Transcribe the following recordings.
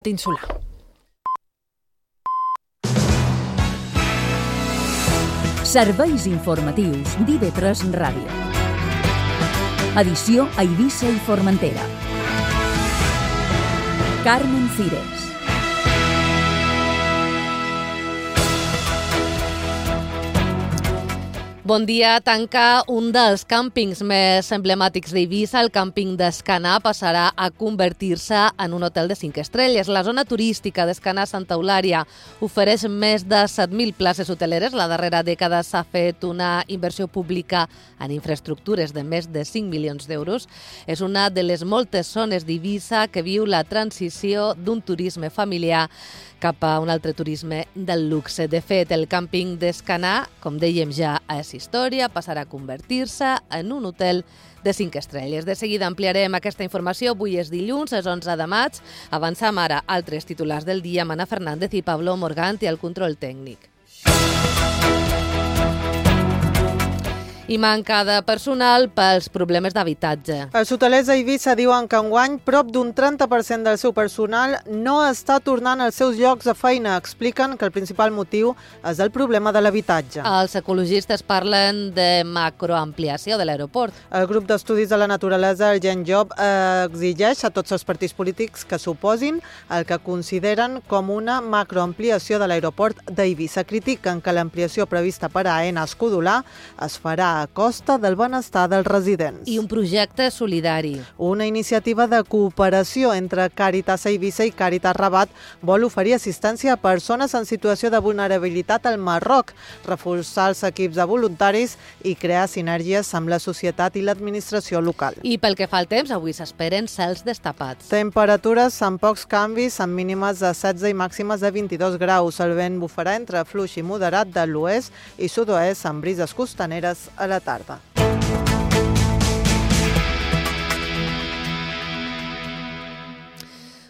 Insular. Serveis informatius d'IV3 Ràdio. Edició a Eivissa i Formentera. Carmen Cires. Bon dia. Tancar un dels càmpings més emblemàtics d'Eivissa, el càmping d'Escanar, passarà a convertir-se en un hotel de 5 estrelles. La zona turística d'Escanar Santa Eulària ofereix més de 7.000 places hoteleres. La darrera dècada s'ha fet una inversió pública en infraestructures de més de 5 milions d'euros. És una de les moltes zones d'Eivissa que viu la transició d'un turisme familiar cap a un altre turisme del luxe. De fet, el càmping d'Escanar, com dèiem ja, és història, passarà a convertir-se en un hotel de 5 estrelles. De seguida ampliarem aquesta informació. Avui és dilluns, és 11 de maig. Avançam ara altres titulars del dia amb Ana Fernández i Pablo Morganti al control tècnic. I manca de personal pels problemes d'habitatge. Els hotelers d'Eivissa diuen que enguany prop d'un 30% del seu personal no està tornant als seus llocs de feina. Expliquen que el principal motiu és el problema de l'habitatge. Els ecologistes parlen de macroampliació de l'aeroport. El grup d'estudis de la naturalesa, el Gen Job, exigeix a tots els partits polítics que s'oposin al que consideren com una macroampliació de l'aeroport d'Eivissa. Critiquen que l'ampliació prevista per a Aena Escudolà es farà a costa del benestar dels residents. I un projecte solidari. Una iniciativa de cooperació entre Càritas Eivissa i Càritas Rabat vol oferir assistència a persones en situació de vulnerabilitat al Marroc, reforçar els equips de voluntaris i crear sinergies amb la societat i l'administració local. I pel que fa al temps, avui s'esperen cels destapats. Temperatures amb pocs canvis, amb mínimes de 16 i màximes de 22 graus. El vent bufarà entre fluix i moderat de l'oest i sud-oest amb brises costaneres a la tarda.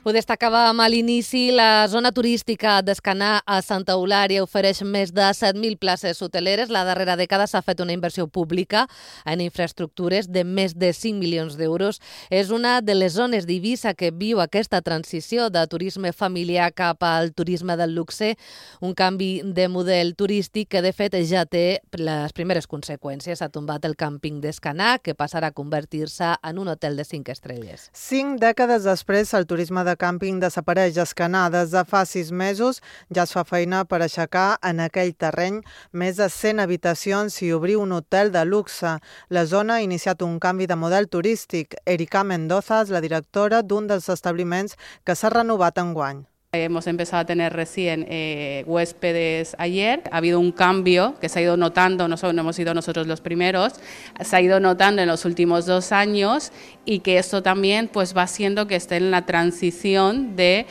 Ho destacàvem a l'inici, la zona turística d'Escanar a Santa Eulària ofereix més de 7.000 places hoteleres. La darrera dècada s'ha fet una inversió pública en infraestructures de més de 5 milions d'euros. És una de les zones d'Eivissa que viu aquesta transició de turisme familiar cap al turisme del luxe, un canvi de model turístic que de fet ja té les primeres conseqüències. Ha tombat el càmping d'Escanar, que passarà a convertir-se en un hotel de 5 estrelles. 5 dècades després, el turisme de càmping desapareix a Escanar. Des de fa 6 mesos ja es fa feina per aixecar en aquell terreny més de 100 habitacions i obrir un hotel de luxe. La zona ha iniciat un canvi de model turístic. Erika Mendoza és la directora d'un dels establiments que s'ha renovat enguany. Hemos empezado a tener recién huéspedes ayer. Ha habido un cambio que se ha ido notando, no hemos sido nosotros los primeros, se ha ido notando en los últimos 2 años y que esto también pues va haciendo que esté en la transición de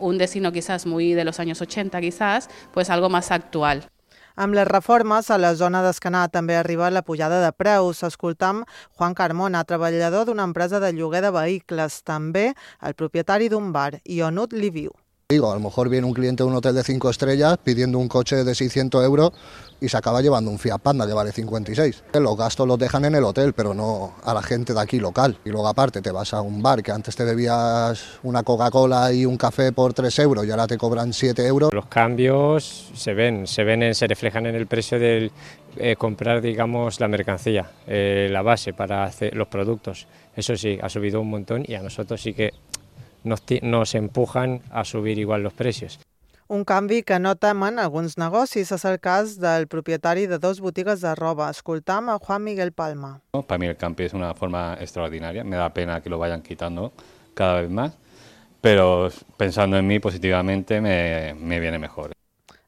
un destino quizás muy de los años 80 quizás, pues algo más actual. Amb les reformes, a la zona d'Escanar també arriba la pujada de preus. Escoltam Juan Carmona, treballador d'una empresa de lloguer de vehicles, també el propietari d'un bar, i on li viu. A lo mejor viene un cliente de un hotel de 5 estrellas pidiendo un coche de 600 euros y se acaba llevando un Fiat Panda que vale 56. Los gastos los dejan en el hotel, pero no a la gente de aquí local. Y luego aparte te vas a un bar que antes te bebías una Coca-Cola y un café por 3 euros y ahora te cobran 7 euros. Los cambios se reflejan en el precio del comprar, digamos, la mercancía, la base para hacer los productos. Eso sí, ha subido un montón y a nosotros sí que nos empujan a subir igual los precios. Un canvi que no temen alguns negocis. És el cas del propietari de 2 botigues de roba. Escoltam a Juan Miguel Palma. Para mí el camping es una forma extraordinaria. Me da pena que lo vayan quitando cada vez más, pero pensando en mí positivamente me viene mejor.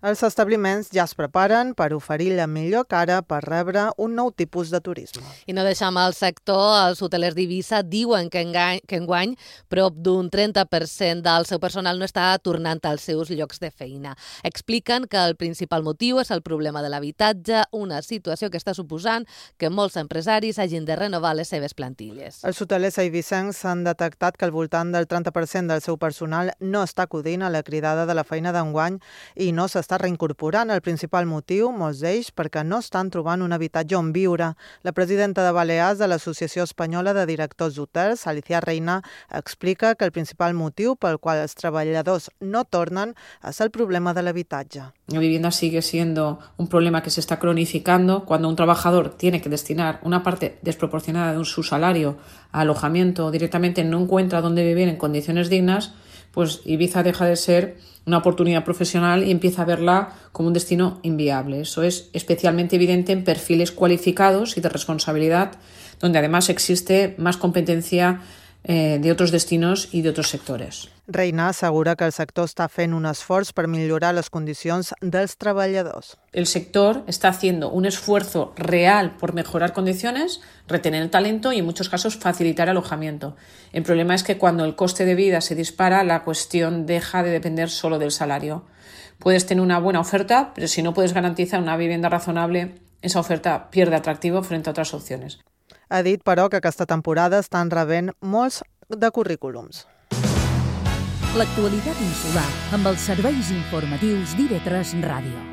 Els establiments ja es preparen per oferir la millor cara per rebre un nou tipus de turisme. I no deixem el sector. Els hotelers d'Eivissa diuen que enguany prop d'un 30% del seu personal no està tornant als seus llocs de feina. Expliquen que el principal motiu és el problema de l'habitatge, una situació que està suposant que molts empresaris hagin de renovar les seves plantilles. Els hotelers eivissencs han detectat que al voltant del 30% del seu personal no està acudint a la cridada de la feina d'enguany i no s'està s'està reincorporant. El principal motiu, molts d'ells, perquè no estan trobant un habitatge on viure. La presidenta de Balears de l'Associació Espanyola de Directors d'Hotels, Alicia Reina, explica que el principal motiu pel qual els treballadors no tornen és el problema de l'habitatge. La vivienda sigue siendo un problema que se está cronificando cuando un trabajador tiene que destinar una parte desproporcionada de su salario a alojamiento o directamente no encuentra dónde vivir en condiciones dignas, pues Ibiza deja de ser una oportunidad profesional y empieza a verla como un destino inviable. Eso es especialmente evidente en perfiles cualificados y de responsabilidad, donde además existe más competencia de otros destinos y de otros sectores. Reina assegura que el sector està fent un esforç per millorar les condicions dels treballadors. El sector está haciendo un esfuerzo real por mejorar condiciones, retener el talento y en muchos casos facilitar alojamiento. El problema es que cuando el coste de vida se dispara, la cuestión deja de depender solo del salario. Puedes tener una buena oferta, pero si no puedes garantizar una vivienda razonable, esa oferta pierde atractivo frente a otras opciones. Ha dit, però, que aquesta temporada estan rebent molts de currículums. L'actualitat insular amb els serveis informatius d'IV3 Ràdio.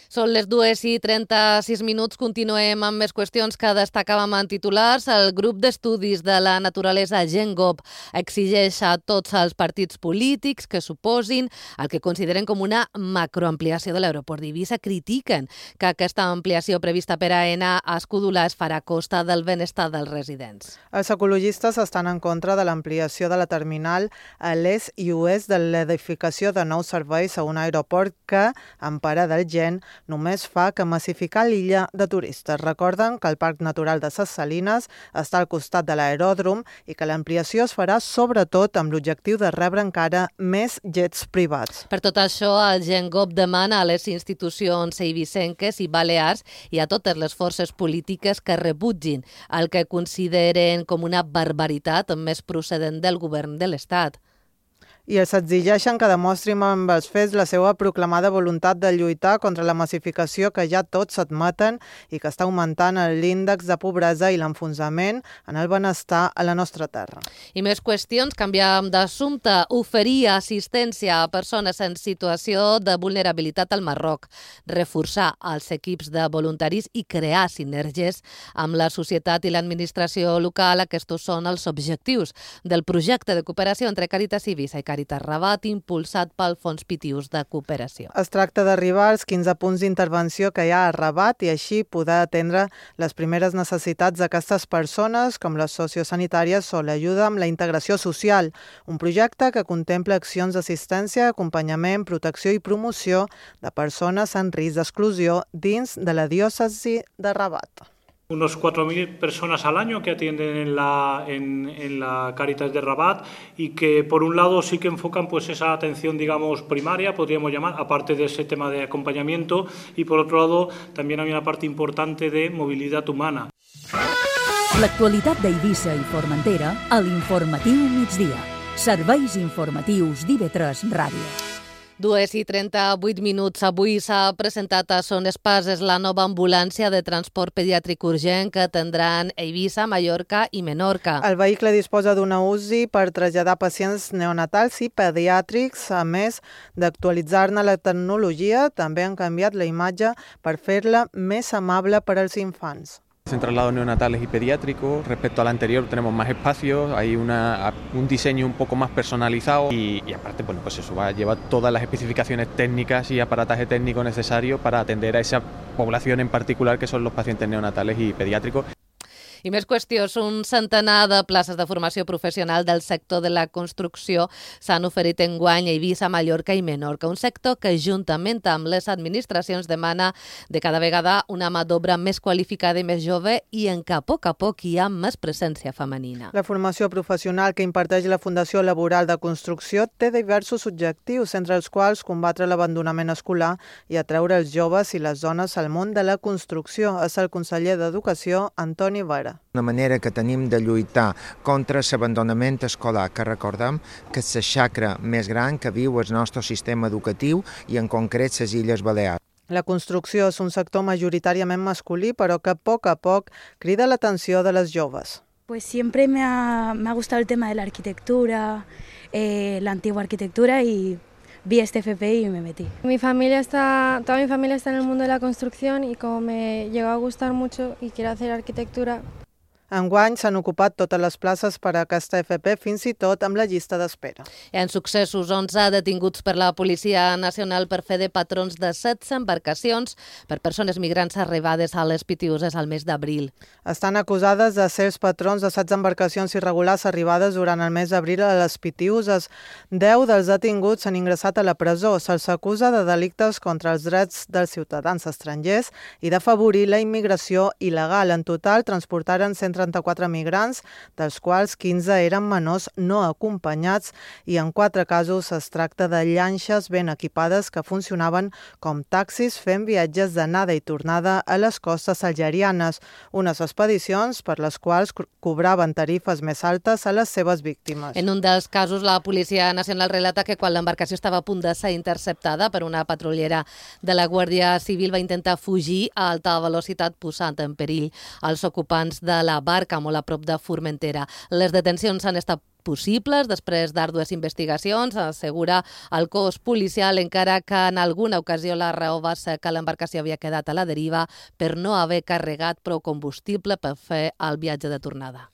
Són les 2:36. Continuem amb més qüestions que destacàvem en titulars. El grup d'estudis de la naturalesa GenGov exigeix a tots els partits polítics que s'oposin al que consideren com una macroampliació de l'aeroport d'Eivissa. Critiquen que aquesta ampliació prevista per AENA a Escudulà es farà a costa del benestar dels residents. Els ecologistes estan en contra de l'ampliació de la terminal a l'est i oest de l'edificació de nous serveis a un aeroport que, en parar del Gen, només fa que massificar l'illa de turistes. Recorden que el Parc Natural de Ses Salines està al costat de l'aeròdrom i que l'ampliació es farà sobretot amb l'objectiu de rebre encara més jets privats. Per tot això, el GenGov demana a les institucions eivissenques i balears i a totes les forces polítiques que rebutgin el que consideren com una barbaritat més procedent del govern de l'Estat. I els exigeixen que demostrin amb els fets la seva proclamada voluntat de lluitar contra la massificació que ja tots admeten i que està augmentant l'índex de pobresa i l'enfonsament en el benestar a la nostra terra. I més qüestions, canviem d'assumpte. Oferir assistència a persones en situació de vulnerabilitat al Marroc, reforçar els equips de voluntaris i crear sinergies amb la societat i l'administració local. Aquests són els objectius del projecte de cooperació entre Càritas Eivissa i Càritas Rabat, impulsat pel Fons Pitius de Cooperació. Es tracta d'arribar als 15 punts d'intervenció que hi ha a Rabat i així poder atendre les primeres necessitats d'aquestes persones, com les sociosanitàries o l'ajuda amb la integració social. Un projecte que contempla accions d'assistència, acompanyament, protecció i promoció de persones en risc d'exclusió dins de la diòcesi de Rabat. Unos 4.000 personas al año que atienden en la Cáritas de Rabat y que por un lado sí que enfocan pues esa atención, digamos, primaria, podríamos llamar, aparte de ese tema de acompañamiento, y por otro lado también hay una parte importante de movilidad humana. L'actualitat d'Eivissa i Formentera a l'Informatiu Migdia. Serveis informatius d'IV3 Ràdio. 2:38. Avui s'ha presentat a Son Espases la nova ambulància de transport pediàtric urgent que tindran Eivissa, Mallorca i Menorca. El vehicle disposa d'una UCI per traslladar pacients neonatals i pediàtrics. A més d'actualitzar-ne la tecnologia, també han canviat la imatge per fer-la més amable per als infants. En traslados neonatales y pediátricos, respecto al anterior tenemos más espacios, hay un diseño un poco más personalizado y aparte bueno, pues eso va a llevar todas las especificaciones técnicas y aparataje técnico necesario para atender a esa población en particular que son los pacientes neonatales y pediátricos. I més qüestions. Un centenar de places de formació professional del sector de la construcció s'han oferit enguany a Eivissa, Mallorca i Menorca. Un sector que, juntament amb les administracions, demana de cada vegada una mà d'obra més qualificada i més jove i en què a poc hi ha més presència femenina. La formació professional que imparteix la Fundació Laboral de Construcció té diversos objectius, entre els quals combatre l'abandonament escolar i atreure els joves i les dones al món de la construcció. És el conseller d'Educació, Antoni Vera. Una manera que tenim de lluitar contra l'abandonament escolar, que recordem que és la xacra més gran que viu el nostre sistema educatiu i en concret les Illes Balears. La construcció és un sector majoritàriament masculí, però que a poc crida l'atenció de les joves. Pues siempre me ha gustado el tema de la arquitectura, la antigua arquitectura y vi este FP y me metí. Toda mi familia está en el mundo de la construcción y como me llegó a gustar mucho y quiero hacer arquitectura. Enguany s'han ocupat totes les places per a aquesta FP, fins i tot amb la llista d'espera. En successos, 11 detinguts per la Policia Nacional per fer de patrons de 16 embarcacions per persones migrants arribades a les Pitiüses al mes d'abril. Estan acusades de ser els patrons de 16 embarcacions irregulars arribades durant el mes d'abril a les Pitiüses. 10 dels detinguts s'han ingressat a la presó. Se'ls acusa de delictes contra els drets dels ciutadans estrangers i d'afavorir la immigració il·legal. En total, transportaren 134 migrants, dels quals 15 eren menors no acompanyats i en 4 casos es tracta de llanxes ben equipades que funcionaven com taxis fent viatges d'anada i tornada a les costes algerianes, unes expedicions per les quals cobraven tarifes més altes a les seves víctimes. En un dels casos, la Policia Nacional relata que quan l'embarcació estava a punt de ser interceptada per una patrullera de la Guàrdia Civil va intentar fugir a alta velocitat posant en perill els ocupants de la barca molt a prop de Formentera. Les detencions han estat possibles després d'àrdues investigacions, assegura el cos policial, encara que en alguna ocasió la raó va ser que l'embarcació havia quedat a la deriva per no haver carregat prou combustible per fer el viatge de tornada.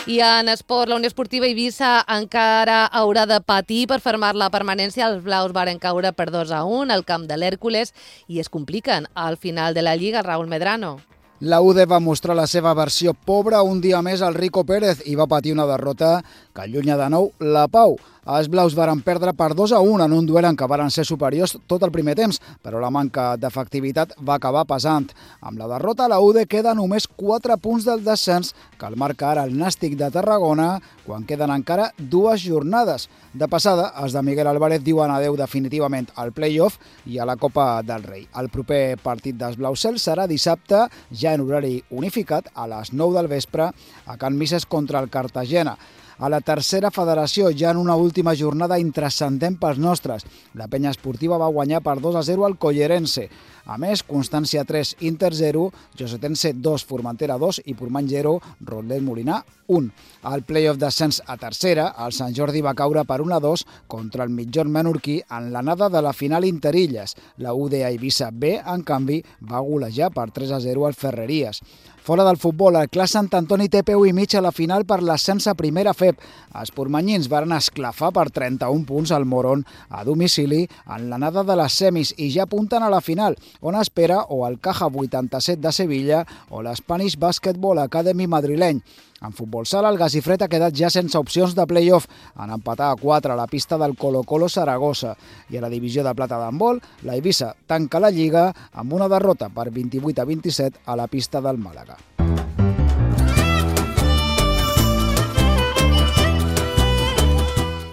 I en esport, la Unió Esportiva Eivissa encara haurà de patir per fermar la permanència. Els blaus varen caure per 2-1 al camp de l'Hèrcules i es compliquen al final de la Lliga. Raúl Medrano. La UD va mostrar la seva versió pobra un dia més al Rico Pérez i va patir una derrota que allunya de nou la pau. Els blaus varen perdre per 2-1 en un duel en què varen ser superiors tot el primer temps, però la manca d'efectivitat va acabar pesant. Amb la derrota, la UD queda només 4 punts del descens, que el marca ara el Nàstic de Tarragona, quan queden encara 2 jornades. De passada, els de Miguel Álvarez diuen adeu definitivament al play-off i a la Copa del Rei. El proper partit dels Blaucels serà dissabte, ja en horari unificat, a les 9 del vespre, a Can Misses contra el Cartagena. A la tercera federació, ja en una última jornada intrascendent pels nostres. La penya esportiva va guanyar per 2-0 al Collerense. A més, Constància 3, Inter 0, Josetense 2, Formentera 2 i Portmany 0, Rotllet Molinar 1. Al play-off d'ascens a tercera, el Sant Jordi va caure per 1-2 contra el mitjorn menorquí en l'anada de la final Interilles. La UD Eivissa B, en canvi, va golejar per 3-0 al Ferreries. Fora del futbol, el Clas Sant Antoni té peu i mig a la final per l'ascens a primera FEP. Els portmanyins varen esclafar per 31 punts al Morón a domicili en l'anada de les semis i ja apunten a la final, on espera o el Caja 87 de Sevilla o l'Spanish Basketball Academy madrileny. En futbol sala, el Gasifret ha quedat ja sense opcions de play-off en empatar a 4 a la pista del Colo-Colo Saragossa. I a la divisió de plata d'handbol, la Eivissa tanca la Lliga amb una derrota per 28-27 a la pista del Màlaga.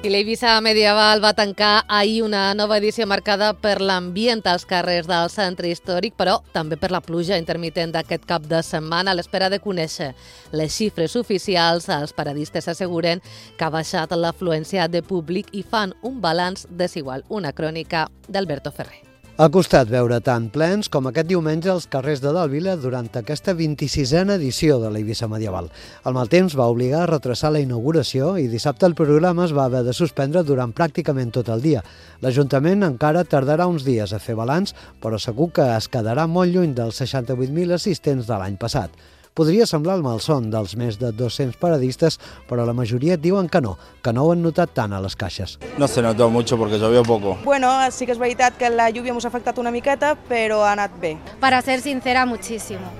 I l'Eivissa Medieval va tancar ahir una nova edició marcada per l'ambient als carrers del centre històric, però també per la pluja intermitent d'aquest cap de setmana. A l'espera de conèixer les xifres oficials, els paradistes asseguren que ha baixat l'afluència de públic i fan un balanç desigual. Una crònica d'Alberto Ferrer. Ha costat veure tant plens com aquest diumenge als carrers de Dalvila durant aquesta 26a edició de l'Eivissa Medieval. El mal temps va obligar a retrasar la inauguració i dissabte el programa es va haver de suspendre durant pràcticament tot el dia. L'Ajuntament encara tardarà uns dies a fer balanç, però segur que es quedarà molt lluny dels 68.000 assistents de l'any passat. Podria semblar el malson dels més de 200 paradistes, però la majoria diuen que no ho han notat tant a les caixes. No se notó mucho porque llovió poco. Bueno, sí que es veritat que la lluvia ens ha afectat una miqueta, però ha anat bé. Para ser sincera, muchísimo.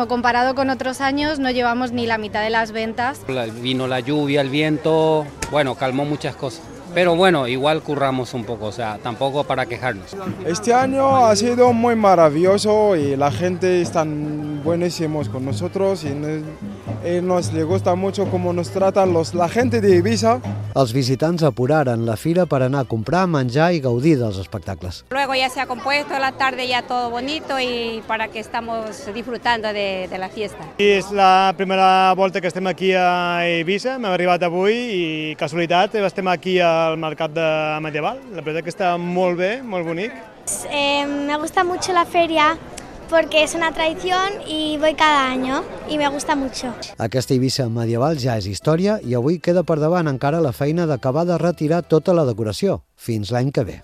Comparado con otros años, no llevamos ni la mitad de las ventas. Vino la lluvia, el viento, bueno, calmó muchas cosas. Pero bueno, igual curramos un poco, o sea, tampoco para quejarnos. Este año ha sido muy maravilloso y la gente está buenísimos con nosotros y nos le gusta mucho cómo nos tratan la gente de Eivissa. Els visitants apuraren la fira per anar a comprar, menjar i gaudir dels espectacles. Luego ya se ha compuesto la tarde ya todo bonito y para que estamos disfrutando de la fiesta. És la primera volta que estem aquí a Eivissa, hem arribat avui i casualitat estem aquí al mercat de Medieval. La veritat que està molt bé, molt bonic. Me gusta mucho la feria porque es una tradición y voy cada año y me gusta mucho. Aquesta Eivissa medieval ja és història i avui queda per davant encara la feina d'acabar de retirar tota la decoració, fins l'any que ve.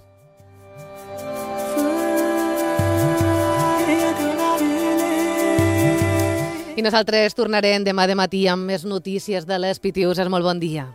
I nosaltres tornarem demà de matí amb més notícies de les Pitiuses. Molt bon dia.